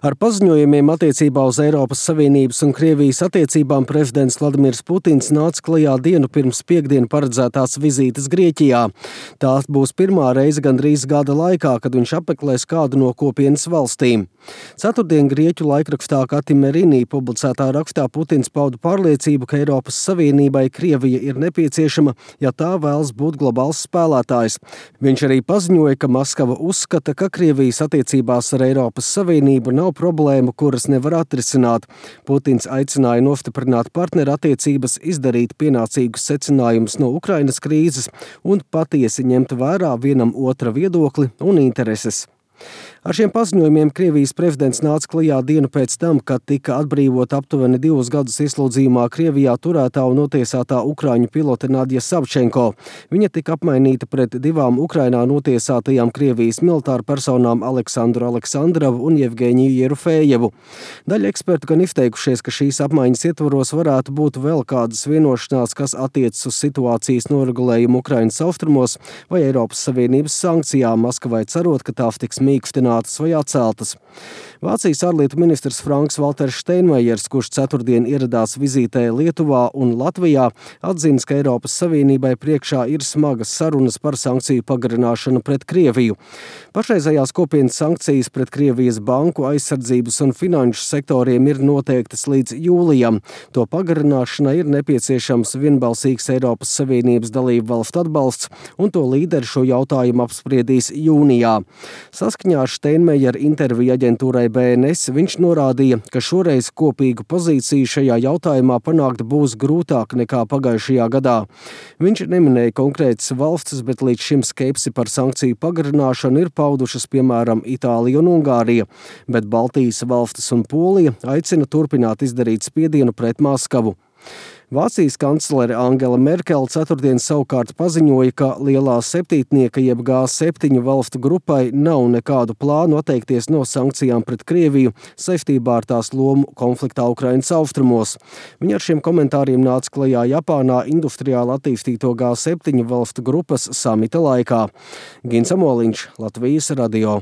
Ar paziņojumiem attiecībā uz Eiropas Savienības un Krievijas attiecībām prezidents Vladimirs Putins nāca klajā dienu pirms piektdienu paredzētās vizītes Grieķijā. Tā būs pirmā reize gandrīz gada laikā, kad viņš apmeklēs kādu no kopienas valstīm. Ceturtdien Grieķu laikrakstā Katimerini publicētā rakstā Putins pauda pārliecību, ka Eiropas Savienībai Krievija ir nepieciešama, ja tā vēlas būt globāls spēlētājs. Viņš arī paziņoja, ka Maskava uzskata, ka Krievijas attiecībās ar Eiropas Savienību nav problēmu, kuras nevar atrisināt. Putins aicināja nostiprināt partneru attiecības, izdarīt pienācīgus secinājumus no Ukrainas krīzes un patiesi ņemt vērā vienam otra viedokli un intereses. Ar šiem paziņojumiem Krievijas prezidents nāca klajā dienu pēc tam, kad tika atbrīvota aptuveni 2 gadus ieslodzījumā Krievijā turētā un notiesātā ukraiņu pilote Nadja Savčenko. Viņa tika apmainīta pret 2 Ukrainā notiesātajām Krievijas militāru personām Aleksandru Aleksandrovu un Jevgeņiju Jerufējevu. Daļa ekspertu gan izteikušies, ka šīs apmaiņas ietvaros varētu būt vēl kādas vienošanās, kas attiecas uz situācijas noregulējumu Ukrainas austrumos vai Eiropas Savienības sankcijām, Maskavai cerot, ka tās tiks mīkstinātas vai atceltas. Vācijas ārlietu ministrs Franks Valters Steinmeiers, kurš ceturtdien ieradās vizītē Lietuvā un Latvijā, atzīst, ka Eiropas Savienībai priekšā ir smagas sarunas par sankciju pagarināšanu pret Krieviju. Pašreizējās kopienas sankcijas pret Krievijas banku, aizsardzības un finanšu sektoriem ir noteiktas līdz jūlijam. To pagarināšanai ir nepieciešams vienbalsīgs Eiropas Savienības dalību valstu atbalsts, un to līderi šo jautājumu apspriedīs jūnijā. Saskaņā ar Steinmeiera interviju aģentūrai BNS viņš norādīja, ka šoreiz kopīgu pozīciju šajā jautājumā panākt būs grūtāk nekā pagājušajā gadā. Viņš neminēja konkrētas valstis, bet līdz šim skepsi par sankciju pagarināšanu ir paudušas piemēram Itālija un Ungārija, bet Baltijas valstis un Polija aicina turpināt izdarīt spiedienu pret Maskavu. Vācijas kanclere Angela Merkele ceturtdien savukārt paziņoja, ka lielā septītnieka jeb G7 valstu grupai nav nekādu plānu atteikties no sankcijām pret Krieviju saistībā ar tās lomu konfliktā Ukrainas austrumos. Viņa ar šiem komentāriem nāca klajā Japānā industriāli attīstīto G7 valstu grupas samita laikā. Gins Amoliņš, Latvijas radio.